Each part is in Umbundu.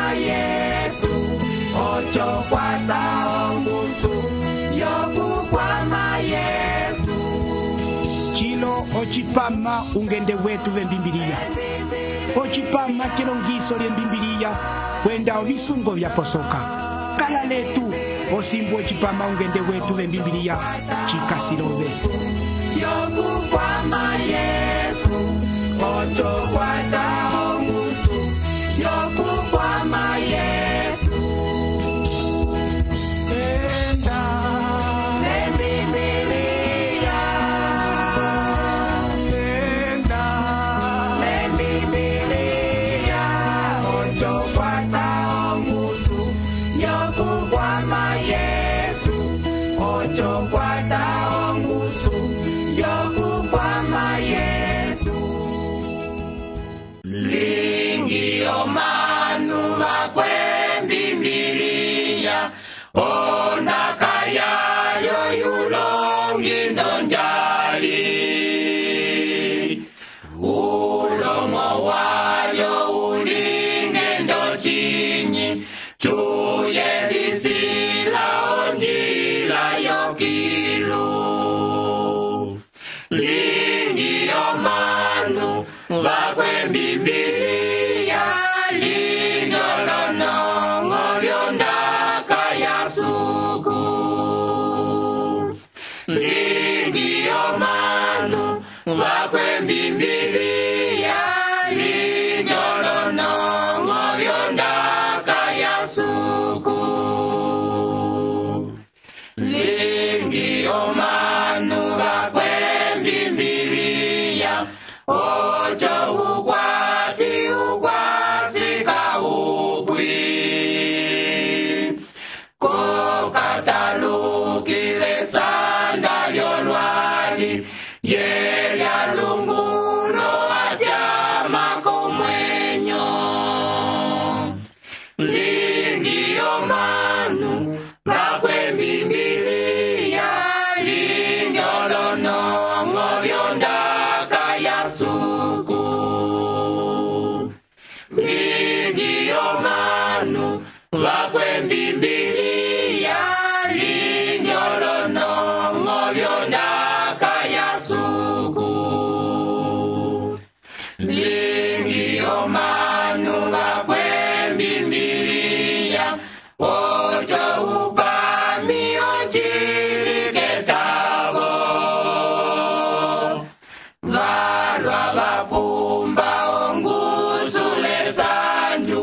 kwama Yesu ocho kwata ongusu yokukwama Yesu chilo ochipama ungende wetu vembimbiliya ochipama chilongiso lyembimbiliya kwenda ovisungo vyaposoka kala letu osimbu ochipama ungende wetu vembimbiliya chikasilove yokukwama Yesu ocho kwata ongusu yokukwama Yesu enda nembimbiliya enda nembimbiliya ocho kwata ongusu yokukwama Yesu ocho kwata ongusu yokukwama Yesu lingi omanu makwembimbiliya onakayayo yulongi ndonjali ulomo wayo ulinge ndochinyi chuyelisila onjila yokilu lingi omanu vakwembimbiliya linyolonongo lyondaka yasuku lingi omanu vakwembimbiliya linyolonongo lyondaka yasuku lingi omanu vakwembimbiliya ocho ukwati ukwasika ukwi kokatalukile sanda lyolwali yelyalungulo atyama komwenyo lingi omanu vakwembimbiliya linyolonongo lyondaka yasuku lingi omanu vakwembimbiliya linyolonongo lyondaka yasuku lingi omanu vakwembimbiliya ocho upami onchiliketavo valwa vapumba ongusule sanju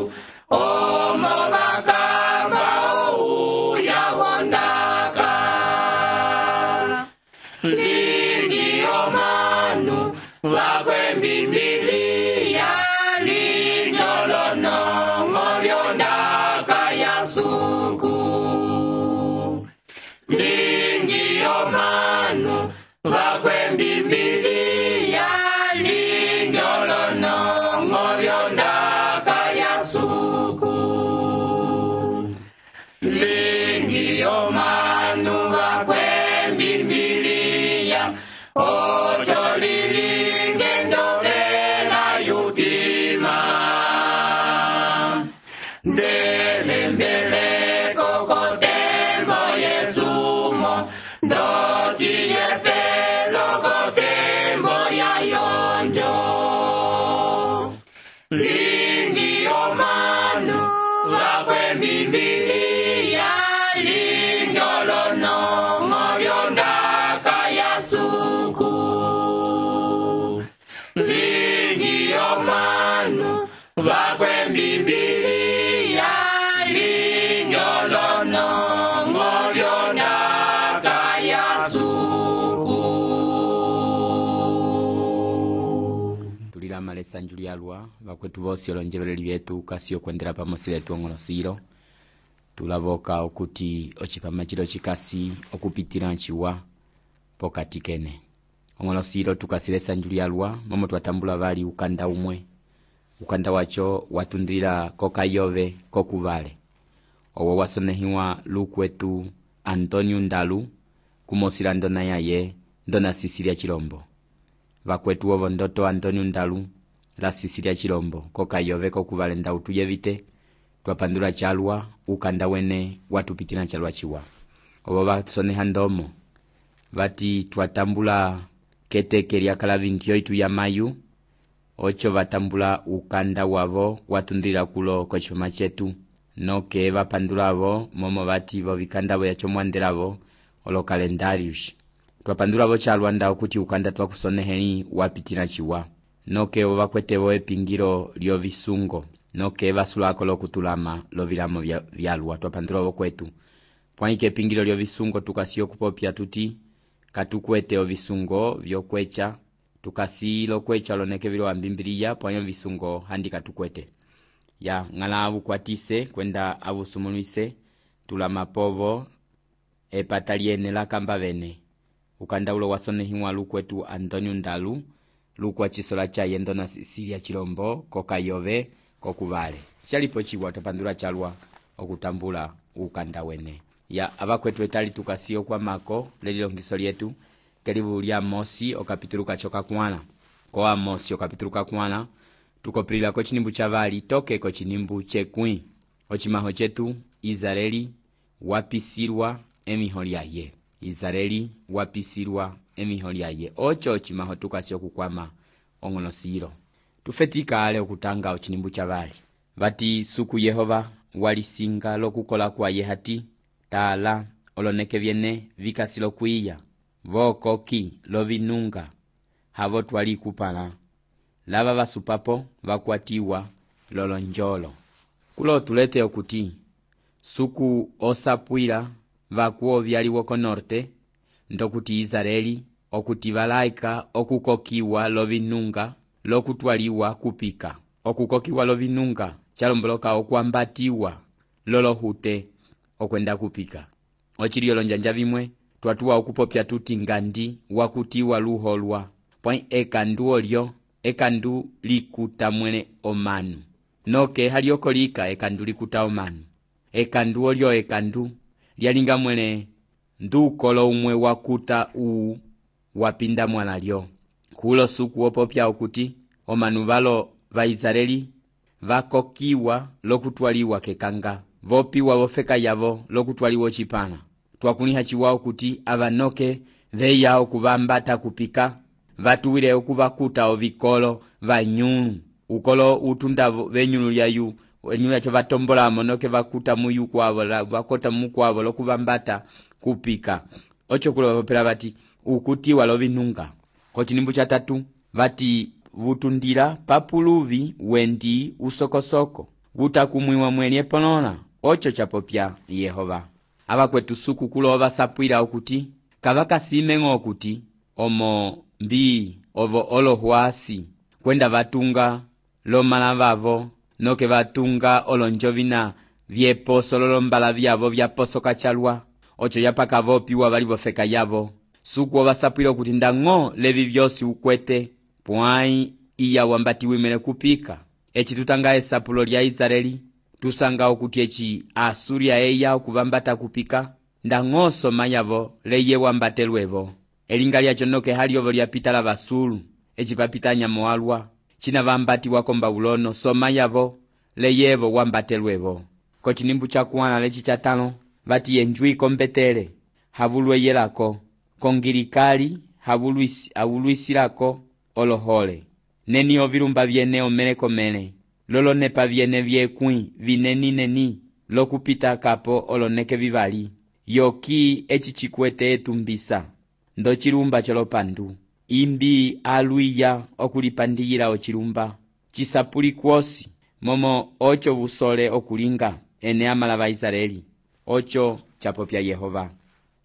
omo vakamba ouya wondaka lingi omanu vakwembimbiliya linyolonongo lyondaka yasuku lingi omanu vakwembimbiliya linyolonongo lyondaka yasuku lingi omanu vakwembimbiliya ocho lilinge ndovela yutima ndelembeleko kotembo yesumo ndociyepelo kotembo yayonjo lingi omanu vakwembimbiliya linyolonongo lyondaka yasuku lingi omanu vakwembimbiliya linyolonongo lyondaka yasuku tulila malesa njulialwa vakwetu vosi olonjeleleli vyetu kasio kwendela pamosi letu ong'olosilo tulavoka okuti ochipama chilo chikasi okupitila nchiwa pokati kene ong'olosilo tukasilesa njulialwa momo twatambula vali ukanda umwe ukanda wacho watundila kokayove kokuvale owo wasonehiwa lukwetu Antonio Ndalu kumosila ndona yaye ndona Sisilia Chilombo vakwetu ovo ndoto Antonio Ndalu la Sisilia Chilombo kokayove kokuvale ndautu yevite twapandula chalwa ukanda wene watupitila chalwa chiwa. Obo basoneha ndomo bati twatambula keteke lya kala 28 ya mayu ocho batambula ukanda wavo watundila kulo kwa chifama chetu noke bapandulavo momo bati bo bikandabo yacho mwandelavo olo kalendarius. Twapandula bo chalwa nda okuti ukanda twakusoneheni wapitila chiwa noke obakwetebo epingiro lyo bisungo noke basulako lokutulama lobilamo byalwa twapandula bo kwetu pwaike epingiro lyo bisungo tukasiyo kupopya tuti katukwete obisungo byokwecha tukasilo kwecha loneke bilo ambimbiliya pwanyo bisungo handi katukwete ya ngala abukwatise kwenda abusumulwise tulama povo epataliene la kamba bene ukanda ulo wasonehimwa lukwetu Antonio Ndalu lukwa chisola cha yendo na Siria Chilombo kokayove kokubale chalipo chiwa tapandula chalwa okutambula ukanda wene ya abakwetu etali tukasiyo kwa mako lelilo ngiso lyetu karibu lya Amosi okapituluka choka kwana ko Amosi okapituluka kwana tukopilila ko chinimbu chavali toke ko chinimbu chekwi ochimaho chetu Israeli wapisirwa emiholiaye Israeli wapisirwa emiholiaye ocho chimaho tukasiyo kukwama ongonosiro tufetika ale okutanga ochinimbu chavali bati suku Yehova walisinga lokukola kwa yehati tala oloneke byene vikasilo kwiya vokoki lovinunga havo twali kupala lava basupapo bakwatiwa lolonjolo kulo tulete okuti suku osapwila vakuo byaliwo ko norte ndokuti Israeli okuti balaika okukokiwa lovinunga lokutwaliwa kupika okukokiwa lovinunga chalomboloka okwambatiwa lolohute okwenda kupika ochiliyo lonjanja bimwe twatuwa okupopya tuti ngandi wakutiwa luholwa pwa ekandu olyo ekandu likuta mwene omanu noke haliokolika ekandu likuta omanu ekandu olyo ekandu lyalinga mwene ndukolo umwe wakuta wapinda mwanalyo kulo suku opopya okuti omanu balo ba Israeli vakokiwa lokutwaliwa kekanga vopiwa vofeka yavo lokutwaliwa chipana twakuniha chiwao kuti abanoke veya okubambata kupika vatuwile okubakuta ovikolo vanyulu ukolo utunda venyulu lyayu enyulu yacho vatombola monoke vakuta muyu kwavo vakota mukwavo lokubambata kupika ocho kulo bapela bati ukutiwa lovinunga ko chinimbu cha tatu bati vutundira papuluvi wendi usokosoko vutakumwiwa mwenye ponona ocho chapopya Yehova abakwetu suku kulo basapwila okuti kabakasimengo okuti omo mbi ovo olohwasi kwenda batunga lomala bavo noke batunga olonjovina vyeposo lolombala byavo byaposoka chalwa ocho yapaka vopiwa bali bofeka yavo suku basapwila okuti ndango levi byosi ukwete pwai iya wambati wimele kupika echi tutanga esapulo lya Israeli tusanga okuti echi Asuria eya okubambata kupika ndangoso mayavo leye wambatelwevo elinga lyacho noke haliovo lyapitala basulu echi papitanya moalwa china bambati wakomba ulono somayavo leyevo wambatelwevo ko chinimbu cha kuwana lechi chatano bati enjui kombetele havulwe yelako kongirikali havuluisilako olohole neni ovilumba vyene omeleko mele lolonepa vyene vyekwi vineni lokupita kapo oloneke vivali yoki echi chikwete etumbisa ndo chilumba cholopandu imbi aluiya okulipandiyila ochilumba chisapuli kwosi momo ocho busole okulinga ene amala ba Israeli ocho chapopya Yehova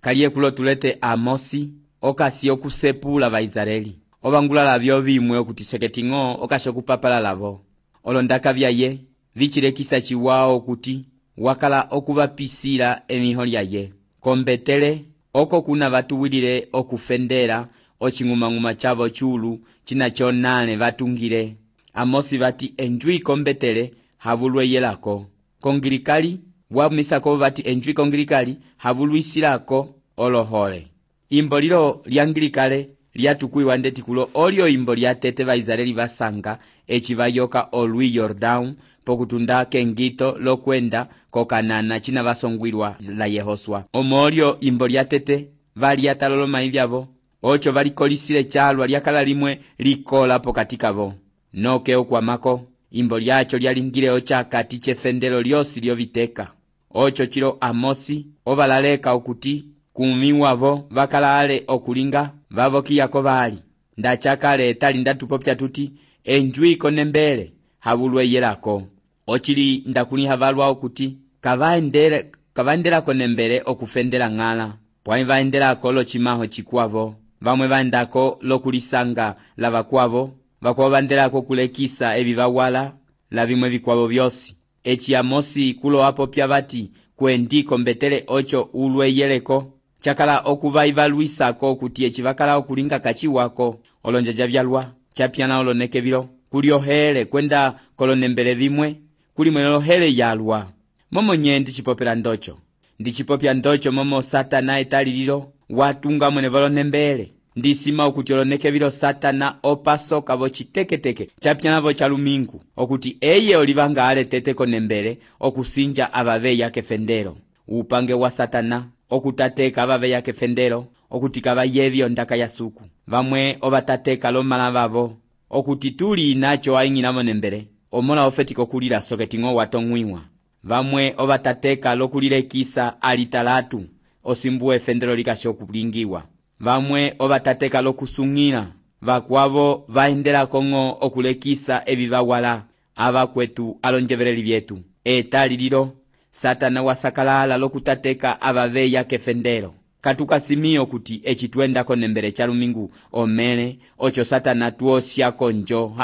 kaliye kulo tulete Amosi okasi okusepula ba Israeli obangulala byo bimwe okuti seketingo okasho kupapala lavo olondaka byaye vichilekisa chiwao okuti wakala okubapisira emiholyaye kombetele oko kuna batuwilile okufendera ochingumanguma chavo chulu chinacho nane batungile Amosi bati enjui kombetele havulwe yelako kongirikali wamisako bati enjui kongirikali havuluisilako olohole imbolilo lyangirikale lyatukuiwa ndeti kulo olyo imbo lyatete ba Israeli basanga echivayoka olwi Jordan pokutunda kengito lokwenda kokanana china vasongwirwa la Yehoswa. Omolyo imbo lya tete valiataloloma ivyavo, ocho valikolisile chalwa lyakala limwe likola pokati kavo. Noke okwamako imbo lyacho lyalingile ochakati chefendelo lyosi lyoviteka. Ocho chilo Amosi ovalaleka okuti kumiwavo vakalale okulinga vavokiyako vali. Ndachakale etali ndatupopya tuti enjwiko nembele havulwe yelako. Ochili ndakuliha valwa okuti kavaendelako nembele okufendela ng'ala. Pwani vaendelako lochimaho chikwavo. Vamwe vaendako lokulisanga la vakwavo. Vakwavo vaendelako kulekisa evi vawala la vimwe vikwavo vyosi. Echi Amosi kulo apopya vati kuendiko mbetele ocho ulwe yeleko. Chakala okuvaivaluisako kuti echi vakala okulinga kachiwako. Olonjaja vyalwa chapyana oloneke vilo kuliohele kwenda kolonembele vimwe kulimwe lohele yalwa. Momo nye ndichipopela ndocho. Ndichipopya ndocho momo Satana etalililo watunga mwene volonembele. Ndisima okuti oloneke vilo Satana opasoka vo chiteketeke chapyana vo chalumingu okuti eye olivanga ale tete konembele okusinja avaveya kefendelo. Upange wa Satana okutateka avaveya kefendelo okuti kavayevyo ndaka ya suku. Vamwe ovatateka lomala vavo okuti tuli inacho aingina monembele omola ofetiko kulila soketingo watongwiwa. Vamwe ovatateka lokulilekisa alitalatu osimbuwe fendelo likasho kulingiwa. Vamwe ovatateka lokusungila vakwavo vaendela kongo okulekisa evi vawala avakwetu alonjeveleli vyetu. Etalililo Satana wasakalala lokutateka avaveya kefendelo. Katukasimio kuti echitwenda konembele chalumingu omele ocho Satana tuosya konjo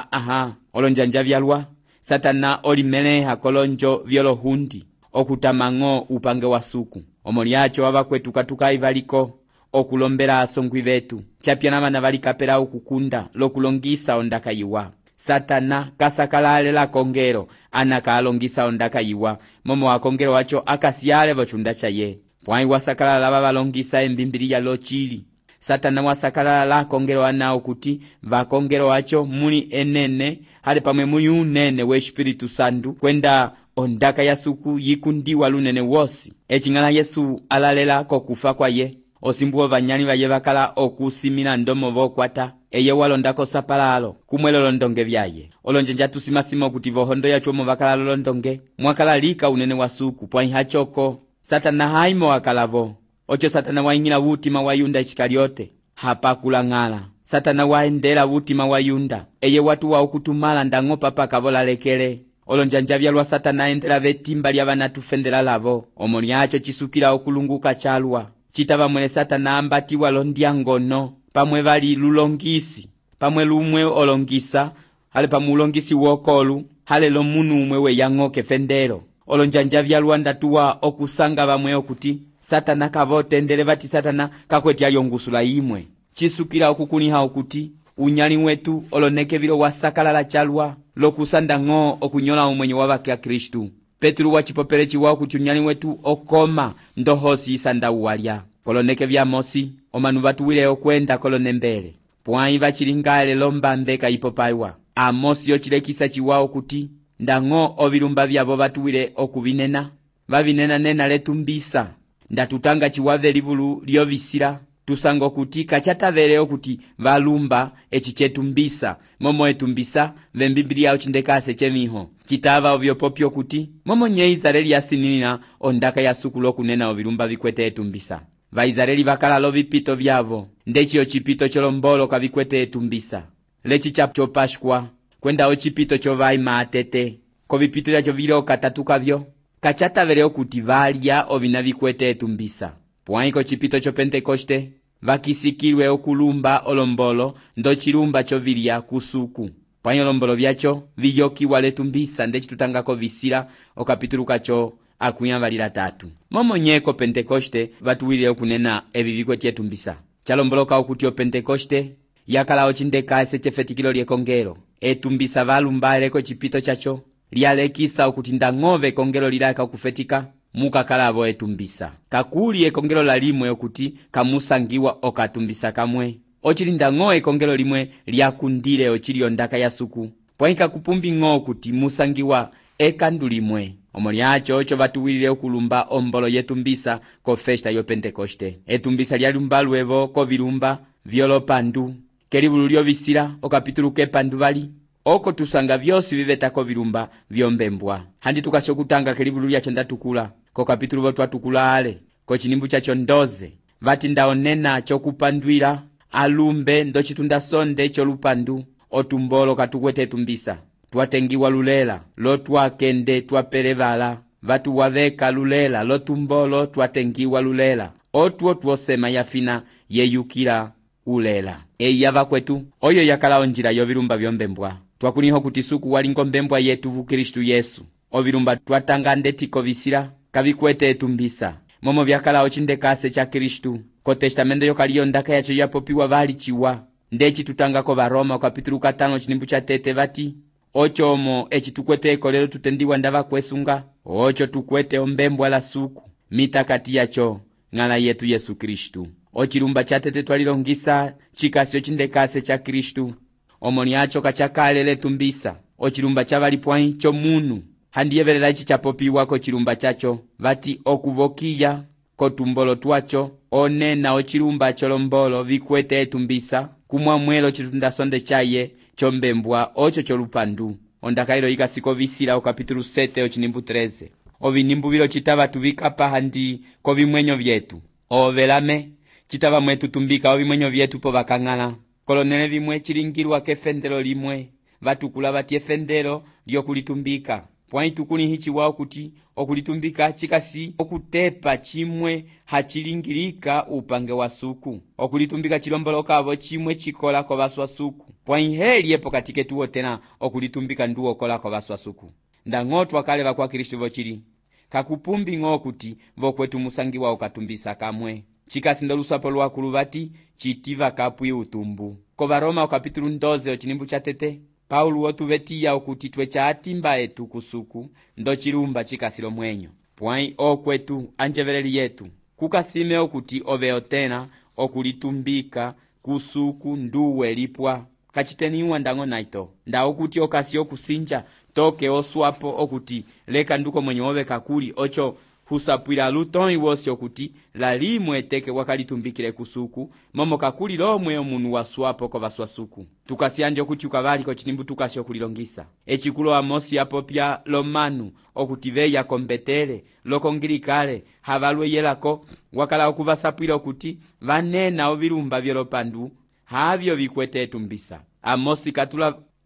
olonjanja vyalwa. Satana olimele hakolonjo vyolohundi okutamango upange wa suku. Omoliacho avakwetu katukai valiko okulombela asongwi vetu. Chapyana vana valikapela ukukunda lokulongisa ondaka yiwa. Satana kasakalale la kongero anakalongisa ondaka yiwa. Momo wa kongero wacho akasiale vochunda chaye. Pwani wasakalala lava valongisa embimbiliya lochili. Satana wasakalala la kongero anao kuti vakongero wacho muli enene hale pamwe muli unene we Espiritu Santu kwenda ondaka ya suku yikundiwa lunene wosi. Echingala Yesu alalela kokufa kwa ye. Osimbuo vanyani vaye vakala okusimila ndomo vokwata. Eye walondako sapalalo kumwelo londonge vyaye. Olonjenja tusimasimo kuti vohondo ya chomo vakala londonge. Mwakala lika unene wa suku pwani hachoko. Satana haimo wakalavo. Ocho Satana waingila wutima wa Yunda Iskariote. Hapa kulangala. Satana waendela wutima wa Yunda. Eye watu wa ukutumala ndango papa kavola lekele. Olonjanja vyalwa Satana endela vetimba lya vanatufendela lavo. Omoliacho chisukila okulunguka chalwa. Chitava mwene Satana ambatiwa londia ngono. Pamwe vali lulongisi. Pamwe lumwe olongisa. Hale pamwe ulongisi wokolu. Hale lo munu umwe we yango kefendelo. Olonjanja vyalwa ndatuwa okusanga vamwe okuti Satana kavote endele vati Satana kakweti ayongusula imwe. Chisukila okukuniha okuti unyali wetu oloneke vilo wasakalala chalwa lokusanda ngo okunyola umwenye wabaki ya Kristu. Petru wachipopele chiwa okuti unyali wetu okoma ndohosi isanda uwalya. Koloneke vya Amosi omanu vatuwile okwenda kolonembele. Pwani vachilingale lombambeka ipopaiwa. Amosi yochilekisa chiwa okuti ndango ovilumba vyavo vatuwile okuvinena. Vavinena nena letumbisa. Ndatutanga chiwave livulu lyovisila. Tusango kuti kachatavele okuti valumba echichetumbisa. Momo etumbisa vembiblia uchindekase chemiho. Chitava ovyopopyo kuti momo nye Izareli yasinina ondaka ya suku lokunena ovilumba vikwete etumbisa. Va Izareli vakala lo vipito vyavo. Ndechi ochipito cholombolo kavikwete etumbisa. Lechi chapo Pashkwa kwenda ochipito chovai maatete. Ko vipito yacho vilo katatuka vyo. Kachatavele okuti valya ovina vikwete etumbisa. Pwaiko chipito cho Pentekoste vakisikilwe okulumba olombolo ndo chilumba chovilya kusuku. Pwanyo olombolo vyacho viyokiwa letumbisa ndechi tutangako visila okapituluka cho akuyambalila 3. Momo nyeko Pentekoste vatuwile okunena evi vikwete etumbisa. Chalomboloka okuti o Pentekoste yakala ochindekase chefetikilo lyekongelo. Etumbisa valumbaleko chipito chacho lyalekisa okuti ndangove kongelo lilaka okufetika muka kalavo etumbisa. Kakuli ekongelo la limwe okuti kamusangiwa okatumbisa kamwe. Ochili ndango ekongelo limwe lyakundile ochili ondaka ya suku. Pwanika kupumbi ngo okuti musangiwa ekandu limwe omo lyacho ocho batuwilile okulumba ombolo yetumbisa ko festa yo Pentekoste. Etumbisa lyalumba luevo ko vilumba vyolopandu kelivulu lyobisila okapitulu kepandu bali oko tusanga vyosi viveta ko vilumba vyombembwa. Handi tukasho kutanga kelivulu lyacho ndatukula ko kapitulu votwatukula ale ko chinimbu chacho ndoze vati ndaonena chokupandwila alumbe ndochitunda sonde cholupandu otumbolo katukwete etumbisa twatengiwa lulela lotwakende twapelevala vatu waveka lulela lotumbolo twatengiwa lulela otwo twosema yafina yeyukila ulela. Yava kwetu oyo yakala onjila yovilumba vyombembwa twakuliho kuti suku walingo mbembwa yetu vu Kristu Yesu ovilumba twatanga ndetiko visila kavikwete etumbisa momo vyakala ochindekase cha Kristu ko testamento yokaliyo ndaka yacho yapopiwa vali chiwa ndechi tutangako Varoma kapitulu 5 chinimbu cha tete vati ocho omo echi tukwete ekolelo tutendiwa ndava kwesunga ocho tukwete ombembwa la suku mitakati yacho ng'ala yetu Yesu Kristu. Ochilumba cha tete twalilongisa chikasi ochindekase cha Kristu omo lyacho kachakale letumbisa ochilumba cha valipwai cho munu handiyevelela ichi chapopiwa ko chilumba chacho vati okuvokiya kotumbolo twacho onena ochilumba cholombolo vikwete etumbisa kumwamwelo chitunda sonde chaye chombembwa ocho cholupandu ondakailo ikasiko visila okapitulu 7 ochinimbu 13 ovinimbu vilo chitava tuvikapa handi ko vimwenyo vyetu ovelame chitava mwetu tumbika ovimwenyo vyetu po vakang'ala kolonele vimwe chilingilwa kefendelo limwe vatukula vati efendelo lyokulitumbika pwai tukuni hichi wao kuti okulitumbika chikasi okutepa chimwe hachilingilika upange wa suku okulitumbika chilombolokavo chimwe chikola ko vaswa suku pwai heli epo katike tuwo tena okulitumbika nduo kola ko vaswa suku ndang'otwa kale vakwa Kristu vochili kakupumbi ng'o kuti vokwetu musangiwa ukatumbisa kamwe chikasi ndolusapo lwakulu vati chitiva kapwi utumbu ko Varoma okapitulu 12 ochinimbu cha tete Paulo wotuvetiya okuti twecha atimba etu kusuku ndo chilumba chikasilo mwenyo pwai okwetu anjeveleli yetu kukasime okuti oveo tena okulitumbika kusuku nduwe lipwa kachiteniwa ndango naito nda okuti okasi okusinja toke oswapo okuti leka nduko mwenye oveka kuli ocho husapwila lutoi wosi okuti lalimwe teke wakalitumbikile kusuku momo kakuli lomwe omunu waswapo ko vaswa suku tukasianje okuti ukavali ko chinimbu tukasi okulilongisa echikulo Amosi apopya lomanu okuti veya kombetele lokongilikale havalwe yelako wakala okuvasapwila okuti vanena ovilumba vyolopandu havyo vikwete etumbisa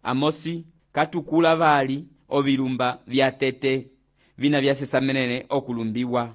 Amosi katukula vali ovilumba vya tete vina vyasesamenene okulumbiwa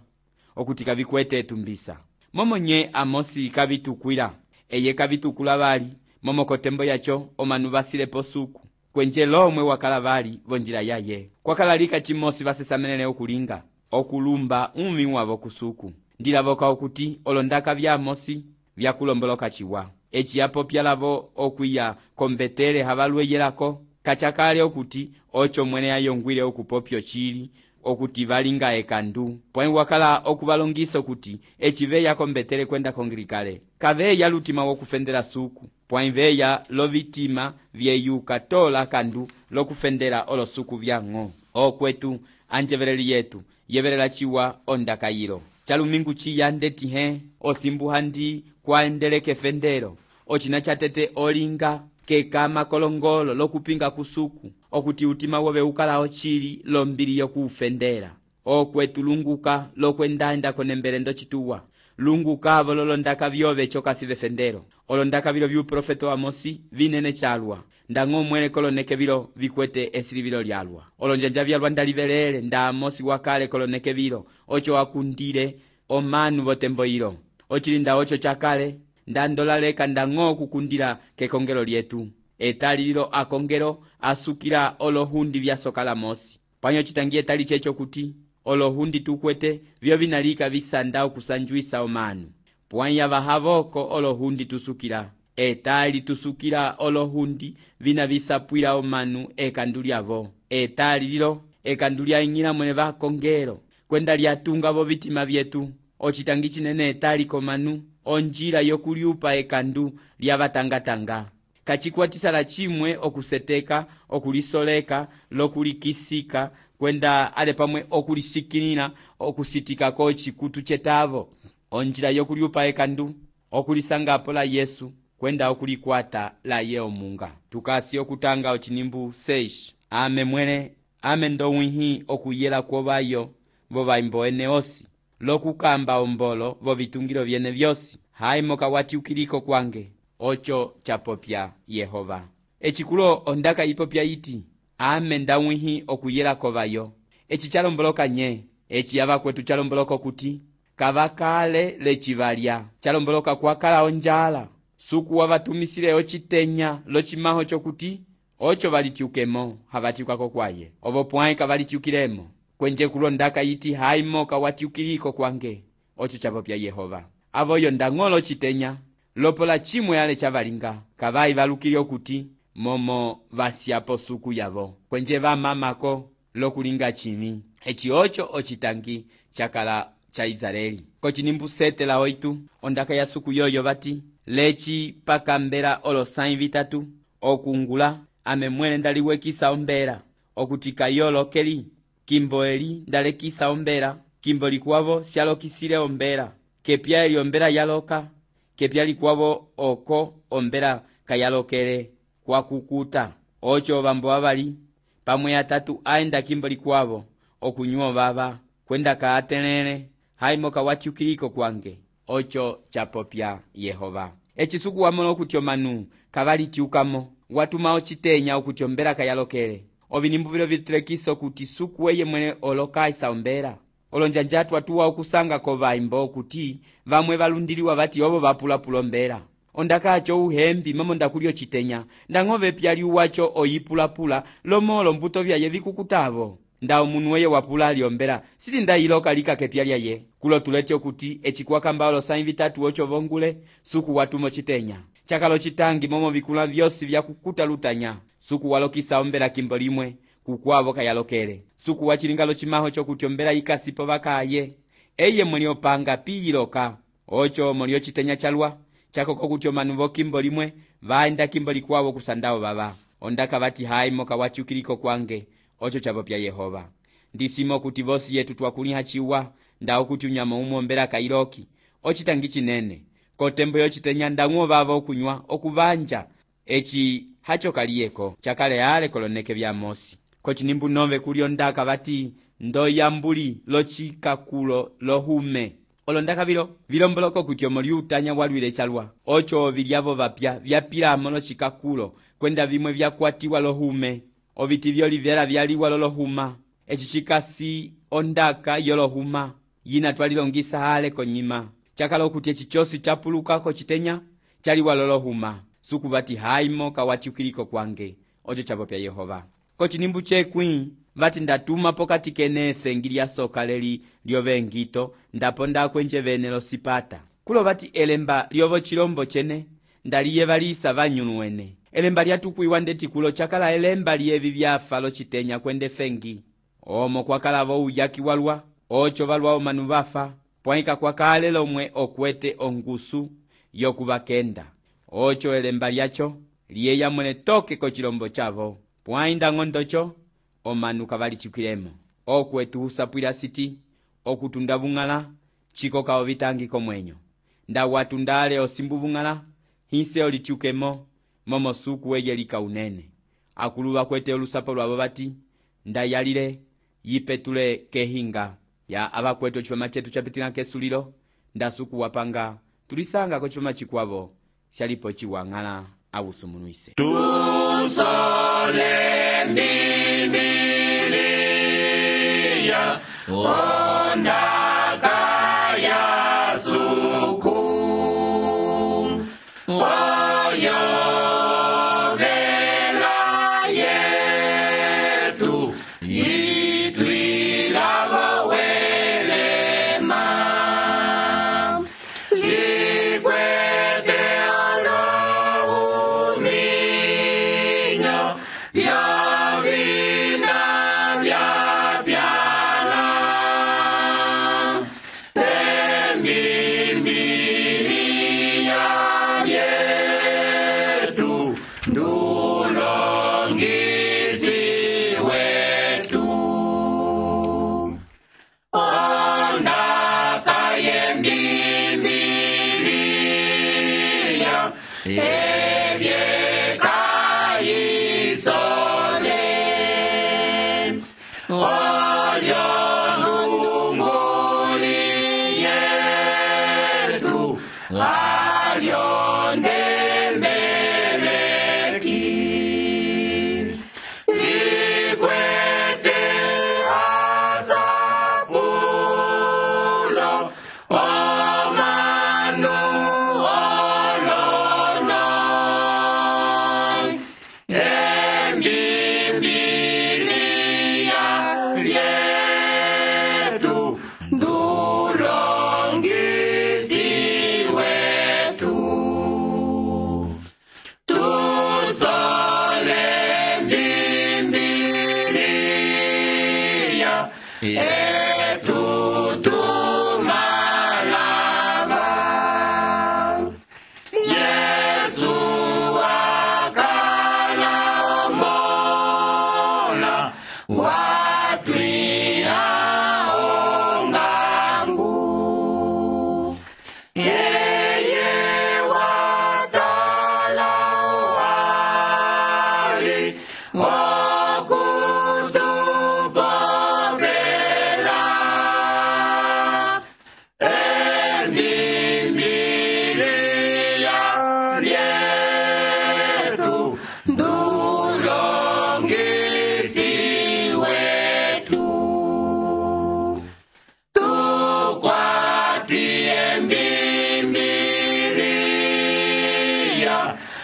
okuti kavikwete etumbisa momo nye Amosi kavitukwila eye kavitukula vali momo kotembo yacho omanu vasilepo suku kwenje lomwe wakala vali vonjila yaye kwakalalika chimosi vasesamenene okulinga okulumba umi wavo kusuku ndilavoka okuti olondaka vya Amosi vyakulomboloka chiwa echi apopya lavo okwiya kombetele havalwe yelako kachakale okuti ocho mwene ayongwile okupopyo chili okuti valinga ekandu pwai wakala okuvalongisa okuti echiveya kombetele kwenda kongilikale kaveya lutima wokufendela suku pwai veya lovitima vyeyuka tola kandu lokufendela olosuku vyang'o okwetu anjeveleli yetu yevelela chiwa ondakayilo chalumingu chiya ndetihe osimbu handi kwaendeleke fendelo ochina chatete olinga kekama kolongolo lokupinga kusuku okuti utima wobe ukala chili lombili yokufendela okwetu lunguka lokwendanda konembele ndo chituwa lunguka vololondaka vyove chokasi vefendelo olondaka vilo vyu profeto Amosi vinene chalwa ndang'o mwene koloneke vilo vikwete esili vilo lyalwa olonjanja vyalwa ndalivelele nda Amosi wakale koloneke vilo ocho akundile omanu votembo hilo ochilinda ocho chakale ndandolaleka ndang'o kukundila kekongelo lyetu etali lilo akongelo asukila olohundi vyasokala Amosi panyo chitangie tali checho kuti olohundi tukwete vyo vinalika visanda okusanjuisa omanu pwanya vahavoko olohundi tusukila etali tusukila olohundi vina visapwila omanu ekandulyavo etali lilo ekandulya ing'ila mwene vakongelo kwenda lyatunga vo vitima vyetu ochitangi chinene etali komanu onjila yokuliupa ekandu lya vatangatanga kachikwatisala chimwe okuseteka, okulisoleka, lokulikisika, kwenda ale pamwe okulisikilina, okusitikako chikutu chetavo. Onjila yokuliupa ekandu, okulisangapo la Yesu, kwenda okulikwata la Yeomunga. Tukasi okutanga ochinimbu 6. Ame mwene, ame ndowinhi okuyela kwobayo, bobaimbo ene osi. Lokukamba ombolo, bobitungilo byene byosi. Haimo kawati ukiliko kwange. Ocho chapopya Yehova. Echikulo ondaka ipopya iti. Ame ndawinhi okuyela kobayo. Echi chalomboloka nye. Echi yava kwetu chalomboloka kuti. Kavakale lechivalya. Chalomboloka kwa kala onjala. Suku wavatumisile ochitenya lochimaho chokuti. Ocho valitiukemo havatiukako kwaye. Obo pwaika valitiukilemo. Kwenje kulondaka iti haimo kawatiukiliko kwange. Ocho chapopya Yehova. Avoyo ndangolo chitenya. Lopola chimwe ale chavalinga. Kavai valukilio kuti. Momo vasiapo suku yavo. Kwenje vamamako lokulinga chimi. Echi ocho ochitangi chakala cha Israeli. Kochinimbu 7 la 8. Ondaka ya suku yoyo vati. Lechi pakambera olosain vitatu. Okungula. Ame mwene ndaliwekisa ombera. Okutika yolo keli. Kimboeli ndalekisa ombera. Kimbo likuavo sialokisile ombera. Kepia eli ombera yaloka. Kepia likuavo oko ombera kayalokele kwa kukuta. Ocho vambo avali. Pamwe atatu aenda kimbo likuavo. Okunyuo baba. Kwenda kaatenene. Haimo kawatiukiliko kwange. Ocho chapopya Yehova. Echisuku wamono okutyomanu. Kavali tiukamo. Watuma ochitenya okutyombera kayalokele. Ovinimbu vilo vitlekiso kuti suku weye mwene olokaisa ombera. Olonjanjatu watuwa okusanga kovaimbo okuti vamwe valundiliwa vati obo vapulapula ombera. Ondakacho uhembi mamo ndakulio chitenya. Ndangove pyali uwacho oyipulapula lomolo mbuto vyaye vikukutavo. Nda omunu weye wapula aliombera. Sili ndailoka lika kepyalya ye. Kulo tulete okuti echikwakamba olosain vitatu ocho vongule suku watumo chitenya. Chakalo chitangi momo vikula vyosi vya kukuta lutanya. Suku walokisa ombera kimbo limwe kukwavo kayalokele. Suku wachilingalo chimaho chokutyombera ikasipo vakaye. Eye mwene opanga piyiloka. Ocho molio chitenya chalwa. Chako kokutyomanu kimbo limwe vaenda kimbo likwavo kusandao baba. Ondaka vati haimo kawatiukiliko kwange. Ocho chapopya Yehova. Ndisimo kuti vosi yetu twakuliha chiwa. Ndao kuti unyama umombera kailoki. Ochitangi chinene. Kotembo yochitenya ndanguo baba okunywa okuvanja. Echi hacho kalieko. Chakale ale koloneke vya Mosi. Kochinimbu 9 kuliondaka vati ndoyambuli lochikakulo lohume. Olondaka vilomboloko kutyomo liutanya walwile chalwa. Ocho vilyavo vapya vyapila mono chikakulo kwenda vimwe vyakwatiwa lohume. Oviti vyolivera vyaliwa lolohuma. Echi chikasi ondaka yolohuma. Yina twalilongisa hale konyima. Chakalo kuti echichosi chapulukako chitenya chaliwa lolohuma. Suku vati haimo kawatiukiliko kwange. Ocho chapopya Yehova. Kochinimbu chekwi vati ndatuma pokati kenefe ngilya soka leli lyovengito ndapo ndakwenje vene losipata. Kulo vati elemba lyovo chilombo chene ndaliye valisa vanyunuwene. Elemba lyatukuiwa ndeti kulo chakala elemba lyevi vyafa lochitenya kwende fengi. Omo kwa kalavo uyaki walwa. Ocho valwa omanu vafa. Pwaika kwa kale lomwe okwete ongusu yokuvakenda. Ocho elemba lyacho liyeya mwene toke kochilombo chavo. Pwainda ngondocho omanu kavali chukilemo. Okwetu usapwila siti okutunda vungala chiko kao vitangi komwenyo. Nda watundale osimbu vungala hinse olichukemo momo suku weyelika unene. Akuluwa kwete olusapo lwabo vati nda yalile yipetule kehinga ya abakwetu chipama chetu chapitina kesulilo. Nda suku wapanga tulisanga ko chipama chikwavo shalipo chiwangala awusumunuise. Tusole Bibilia ondaka ya suku oyo vela yetu itwilavo welema likwete olohuminyo vya vina vya pyala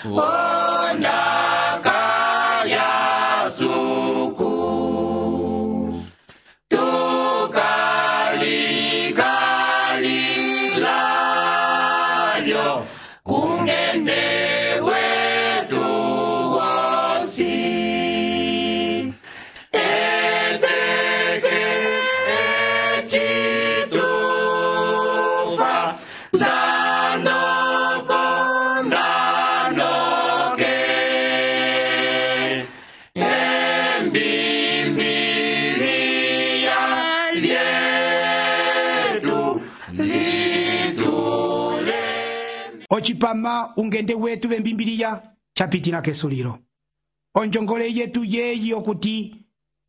ondaka ya suku tukalikalilayo kungende wetu wosi eteke echitufa ndanopo ndanoke embimbilia lyetu litule ocipama ungende wetu vembimbiliya capitila kesulilo onjongole yetu yeyi okuti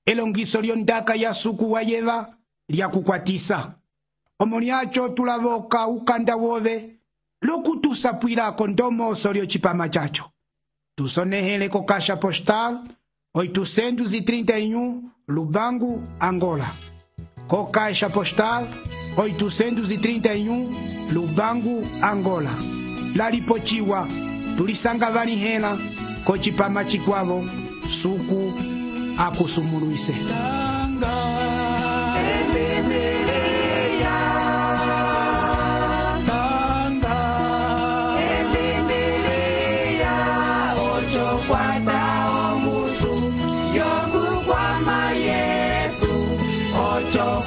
elongiso lyondaka ya suku wa yeva lyakukwatisa omo lyaco tulavoka ukanda wove lokutusapwilako ndomoso lyocipama caco tusonehele ko caixa postal 831 Lubangu, Angola. Co caixa postal 831 Lubangu, Angola. Lalipochiwa tulisanga valihela ko cipama cikwavo suku akusumuluise. Ocho